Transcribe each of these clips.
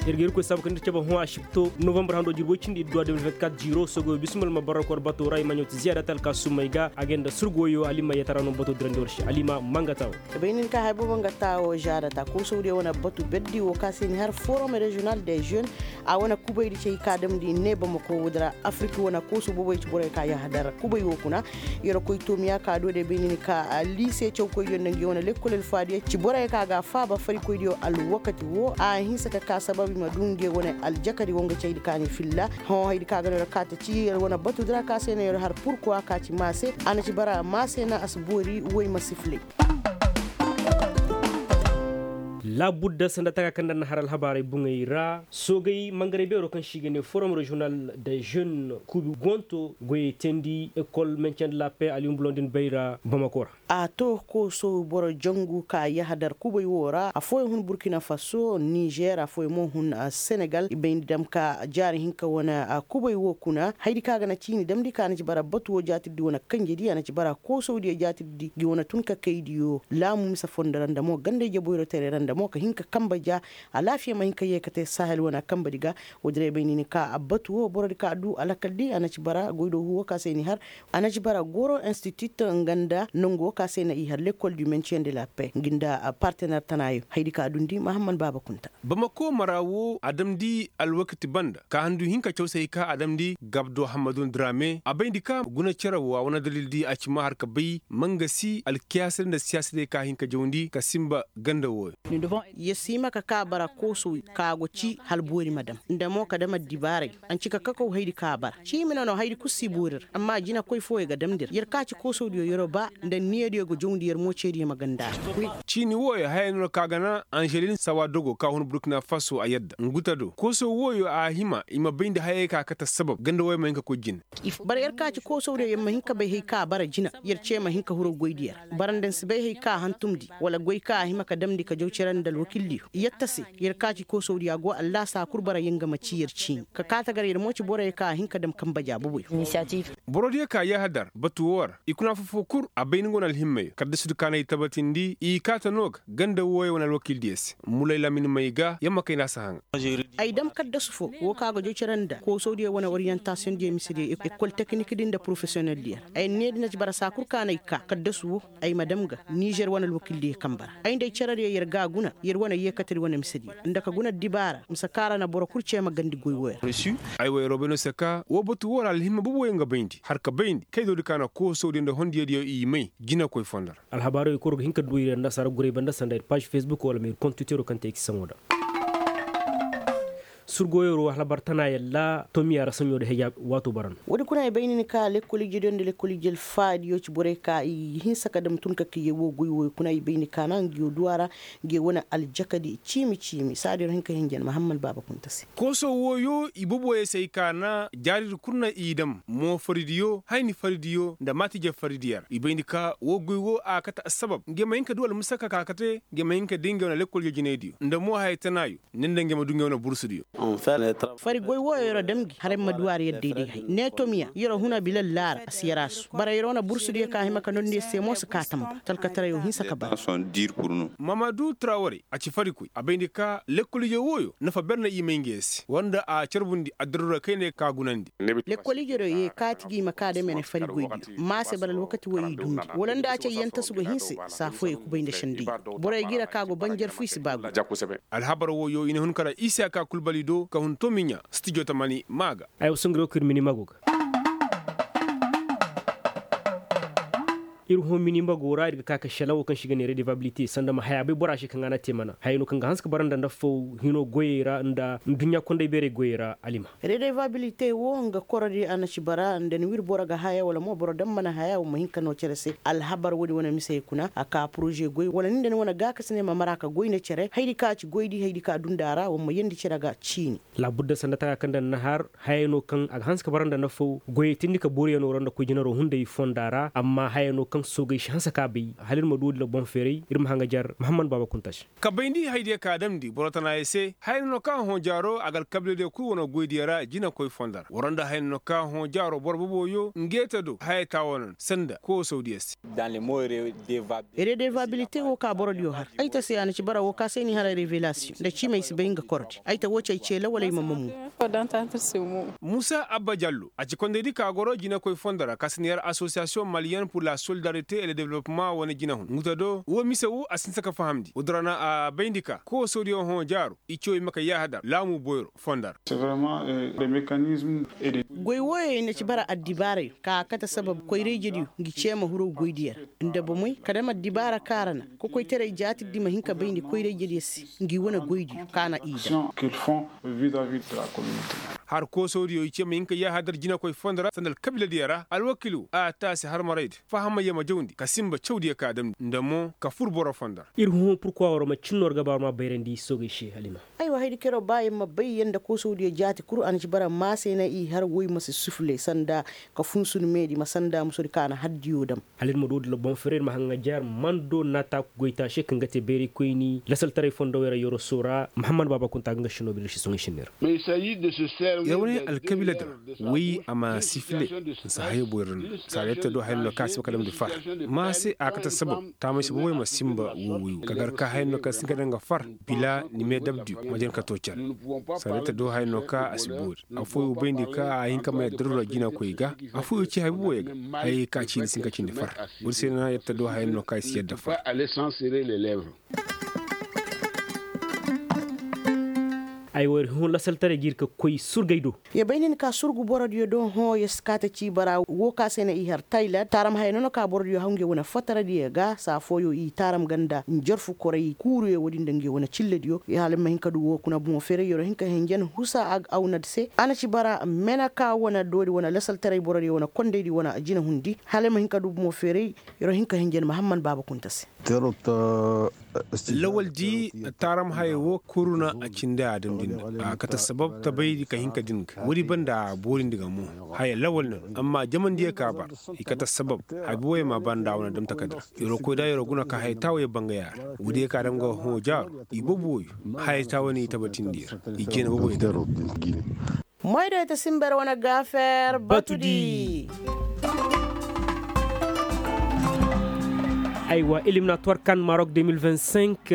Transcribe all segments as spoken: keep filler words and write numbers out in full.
Ir ga irkoy saabu kaŋ ir cabe hõ asibto novambar hando jirbi woy cindi idduwa de mil vingt-quatre jiiro sogoyo bismil ma barrakor bato ra i ma ɲawti ziyaada talka summay ga a ga nda surgoyo alima yetara no bato dirandi war se alima mangata wo. Bay nin ka hay bobo nga ta wo ziyaada ta koosawdiyo wane batu berdi wo ka se ni har forum regional de jeune a wane kubaydi cey ka damndi ne bamako woodi ra afiriki wane koosu boboy ci borey ka yahadar kubay wo kuna. Yer koy toomiya ka do de bay nin ka liise cawkoydiyo nda ngi wane lekkol alfaadiyo ci borey ka ga faaba farikoydiyo alwakati wo a hinse ka ka sabab i ma du nge wane aljakadi wo nga caydi ka ni filla. Hõ haydi ka ga no yer kaate ci yer wane batu dira ka se no yer har purkuwa ka ci maase a na ci bara maase na a si boori woy ma sifilay. Laabudda sanda taka kaŋ nda na har alhabaarey buŋey ra soogay mangarey beero kaŋ se i ga ne forum regional de jeune kuubi gonto goyey teendi ekol mention de la paix aliyumbulondin bay ra bamako ra. A to kooso boro jangu ka yahadar kubay wo ra afooyaŋ hun burkina faso nizer afooyaŋ mo hun senegal i bay ni dam ka jaari hinka wane kubay wo kuna haydi kaŋ a ga na ciini damndi ka na ci bara batu wo jaatirdi wane kanjedi a na ci bara koosawdiyo jaatirdi ngi wane tun ka kaydiyo laamu mise fondo ra nda mo ganda ije boyrotere ra nda mo ka hin ka kambe ja alaafiya ma hin ka yee ka te sahel wane kanbedi ga. Woodi ra i bay ni ni ka batu wo borodi ka du alakaldi a na ci bara goydo hu wo ka se ni har a na ci bara goro institut nga nda nangu wo ka se na i har lekkol du mention de la paix ngi nda partener tanayo haydi ka dundi mahamman baaba kunta. Bamako mara wo a damndi alwakati banda ka handu hinka cawsay ka a damndi gabdo hammadun drame a bayndi ka guna cere wo a wane dalildi a ci ma har ka bay mangasi alkiyaasadi nda siyaasadey ka hin ka jawndi ka sinba ganda wooyo. Yer si hima ka ka bara koosoy ka go ci hal boori ma dam nda mo ka dam addibaaray. A na ci ka kakaw haydi ka bara ciimi no no haydi kul si boori ra amma jinakoy fooyo ga damndi ra yer ka ci koosowdiyo yer'o ba nda niyadiyo ga jawndi yer mo ceediyo ma ganda ra. Ciini wooyo haya no no ka ga na anželin sawa dogo ka hun burkina faso a yadda nguta do koosow wooyo a hima i ma bayndi hayey ka kate assabab ganda wooyo ma hin ka koy jine. Bara yer ka ci koosowdiyo yer ma hin ka bay hay ka bara jina yer ce ma hin ka huru goydiyo ra. Bara nda ni si bay hay ka a hantumndi wala goy ka a hima ka damndi ka jaw cere nda alwakildiyo yetta se. Yer ka ci koosowdiyo a go allaasa kul bara yer nga ma ci yer ciini ka kaate gar yer mo ci boroyo ka a hin ka dam kanbe ja boboyo. Borodiyo ka yahadar batu woo ra i kuna foo-foo kul a bay ni go na alhimmayo kaddasudi ka na i tabatindi i kaate no ga ganda wooyo wane alwakildiyo se. Mulay lamin may ga yer ma kay nda a si haŋa. Ay dam kaddasu foo woo ka ga jaw cere nda koosowdiyo wane oriyantasiyoŋdiyo misediyo ekol tekinikdi nda porofesiyoneldiyo ra ay needi na ci bara saa kul ka na ay ka kaddasu woo ay ma dam ga nizer wane alwakildiyo kanbe ra ay nda ay cerediyo yer ga a guna yer wane yeekatedi wane misediyo nda ka guna addibaara mise kaŋ ra na boro kul cee ma gandi goy wooyo ra. Ay wo yer'o bay no se ka woo batu woo ra alhimma boboyo nga bayndi har ka bayndi kaydoodi ka na koosowdiyo nda hondiyadiyo i may jinakoy fondo ra. Alhabaarey koro ga hin ka du ir annasaara guray banda sanda ir paaž fesbuk wala ma ir kont twitero kaŋ te ay ci saŋo da. Surgoyero alhabar tana yalla tomiya ra saɲo da heja waato bara no. Woodi kuna i bay ni ni ka lekkol ijediyo nda lekkol ije alfaadiyo ci borey ka i hinsa ka dam tun ka kayye woo goy wooyo kuna i bay ni ka na ngiyo duwa ra. Ngiyo wane aljakadi ciimi ciimi saadiyo ra hin ka hinjan mahamman baaba kunta se. Kooso wooyo i boboyo se ay ka na jaaridi kul na i dam moo faridiyo hayni faridiyo nda maatije faridiyo ra i bayndi ka woo goy woo a kate assabab nge ma hin ka du almusaka ka kate nge ma hin ka di nge wane lekkol jejinaydiyo nda moo haya tanaayo. Nda nda nge ma du nge wane bursudiyo. Fari goy wooyo yer o dam gi har yer ma du a ra yer day-day hay ne tomiya yer o hun a bilal laara a si yer a su bara yer wane bursudiyo ka hima ka nondi yer se mo si ka tamba talkatarayo hinsa ka bara. Mamadu traware a ci farikoy a bayndi ka lekkol ije wooyo nafa ber na i may nge se war nda a carbundi addarura kayne ka gunandi. Lekkol ije do ye kaati gi ma ka dame ne fari goydiyo ma se bara alwakati wo i dundi wala nda a cay yantasu go hinse saa fooyo kubay nda sendey. Borey gi ra ka go banjar fu i si ba guy. Alhabar wooyo i na hun kara isiyaka kulbali do ka hun tomiɲa stijo tamani ma ga. Ay wa songiro ka ir mini mago ga. Ir hõ mini mago ra ir ga ka ka šelaŋ wo kaŋ se i ga ne redevabilite sanda ma haya bay bora se kaŋ a na te mana haya no kaŋ ga hanse ka bara nda nda foo hino goyey ra nda nduɲɲa kondey beerey goyey ra alima. Redevabilite wo nga korodi a na ci bara nda ni wir boro ga haya wala mo boro daŋ mana haya wa ma hin ka no cere se alhabar wo-din wane misey kuna a ka poroze goy wala ni nda ni wane gaakasiney ma mara ka goy nda cere haydi kaŋ a ci goydi haydi kaŋ a dunda ra wa ma yeendi cere ga ciini. Laabudda sanda taka kaŋ nda ni na har haya no kaŋ a ga hanse ka bara nda nda foo goyey tindi ka booriyanoo ra nda koy jinaroo hunday fonda ra amma haya no kaŋ Soogey si hanse ka bay hala ir ma du woodi la boŋ feeray ir ma haŋa jar mahammad baaba kunta se. Ka bayndi haydiyo ka damndi boro tanaayey se haya no no kaŋ a hõ jaaro a ga alkabiladiyo kul wane goydiyo ra jinakoy fondo ra waro nda haya no no kaŋ a hõ jaaro boro boboyo nge te do haya taawanan sanda koosawdiyo se. Redevabilite wo ka borodiyo har ay ta se a na ci bara wo ka se ni hara revelasiyoŋ nda ciimey si bay nga kordi ay ta wo cey ceela wala ay ma mamu. Musa abba jallo a ci kondaydi ka goro jinakoy fondo ra ka si ni har asosiyasiyoŋ maliyen pur la solidarite e le developema wane jinahun nguta do wo mise wo a si ni se ka fahamndi woodin ra na a bayndi ka koosodiyo hõ jaaro i ciyo i ma ka yaahadar laamu boyro fondo ra. Goy wooyo i na ci bara addibaarayo ka a kate sabab koyra-ijediyo ngi ceema hirow goydiyo ra nda bomey ka dam addibaara kaŋ a ra na kokoytaray jaatirdi ma hin ka bayndi koyra-ijediyo se ngi wane goydiyo kaŋ a na i dam. Har koosodiyo i ce ma hin ka yaahadar jinakoy fondo ra sanda alkabiiladiyo ra alwakiilo a taasi harmaraydi fahamayyo ma jawndi ka sinba cawdiyo ka damndi nda mo ka fur boro fondo ra. Ir hõ purkuwa war ma cinno war ga ba war ma bayrandi soogey se halima. Aywa haydi kero ba yer ma bay yer nda koosodiyo jaati kul a na ci bara maasey na i har woy ma si sufle sanda ka funsun meedi ma sanda musodi kaŋ a na hardiyo dam. Hala ir ma du woodin ra boŋ fere ir ma haŋa jar mando naataaku goytaase kaŋ ga te bayraykoyni lasaltaray fondo wayra yoroso ra mahammad baaba kunta ga nga sino bilir si soŋay sinni ra. Yer wane alkabiila din ra woy a ma sifile nsa hayo boyro no saada yer ta do haya no kaŋ a si ba ka damndi far ma se a kate sabab taamay si boboy ma sinba wowoy wo ka gar ka haya no kaŋ si hin ka daŋ ga far bila ni me dabdiyo ma jin ka to care saada yer ta do haya no kaŋ a si boori afooyo bayndi ka a hin ka may addarura jinakoy ga afooyo ci hay boboyo ga hayey ka ciini si hin ka cindi far woodi se no na yer ta do haya no kaŋ i si yadda far. Ay wo ir hõ lasaltaray ga ir ka koy surgay do. Yer bay nin ka surgu borodiyo do hõ yer si kaate ci bara wo ka se na i har tayland taaram haya no no ka borodiyo haw nge wane fataradiyo ga saa fooyo i taaram ganda njarfu koray kuuruyo woodi nda nge wane cillediyo hala ma hin ka du wo kuna bomo feeray yer wo hin ka henjen husa awnad se a na ci bara mena ka wane doodi wane lasaltaray borodiyo wane kondaydi wane jinahundi hala ma hin ka du bomo feeray yer wo hin ka henjen mahamman baaba kunta se. Lawaldi taaram haya wo kuru na a cindi a damndi nda a kate sabab tabaydi ka hin ka din ga woodi banda a boorindi ga mo haya lawal no amma jamandiyo ka bar i kate sabab habi woyo ma banda a wane dam takadira yer wo koy da yer wo guna ka haya taawayo bangaya ra woodiyo ka dam ga hõ jaaro i boobo woyo haya taawayo no i tabatindi yer i jeena boobo yer. Moy do ita simber wane gafer batudi. Aywa eliminatoire kan maroc deux mille vingt-cinq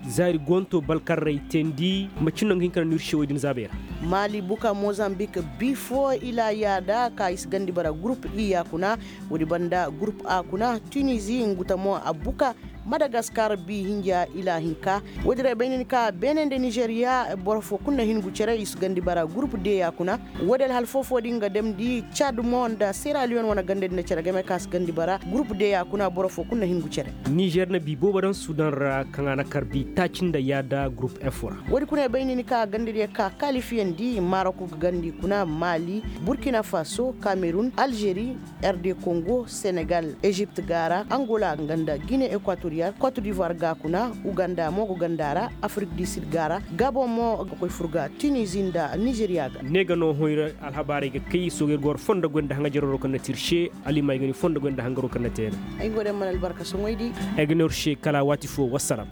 zaari gonto balkarray teendi macin no nga hin ka na nirse woy din zaabey ra. Maali buka mozambik bifo ila yaada ka i si gandi bara group i ya kuna woodi banda group a kuna tunizi nguta mo a buka madagaskar bi hinja ila hinka woodi ra i bay nin ka beene nda nizeriya boro fo kulu na hin gu cere i si gandi bara group de ya kuna woodi alhal fofo din ga damndi cad mo nda seraliyon wane ganda din na cere game ka si gandi bara group de ya kuna boro fo kulu na hin gu cere. Nizer na bi boobo daŋ sudan ra kaŋ a na kar bi taaci nda yaada group f ra. Woodi kuna i bay nin ka ganda diyo ka kalifiyandi marok ga gandi kuna mali burkina faso kamerun algeri, rd kongo senegal ezipt ga ra angola nga nda gine ekwatoriyal kot divoir ga kuna uganda mo go ganda ra afrik di sid ga ra gabon mo ga koy fur ga tunizi nda nizeriya ga. Ne ga no hoyra alhabaarey ga kay soogey ga war fondo goy nda haŋajaroro kaŋ na te ir se. Alimay ga ni fondo goy nda haŋgaro kaŋ na te ay go day mana albarka soŋoy di. Ay ga ne ir se kala waati fo wassalam.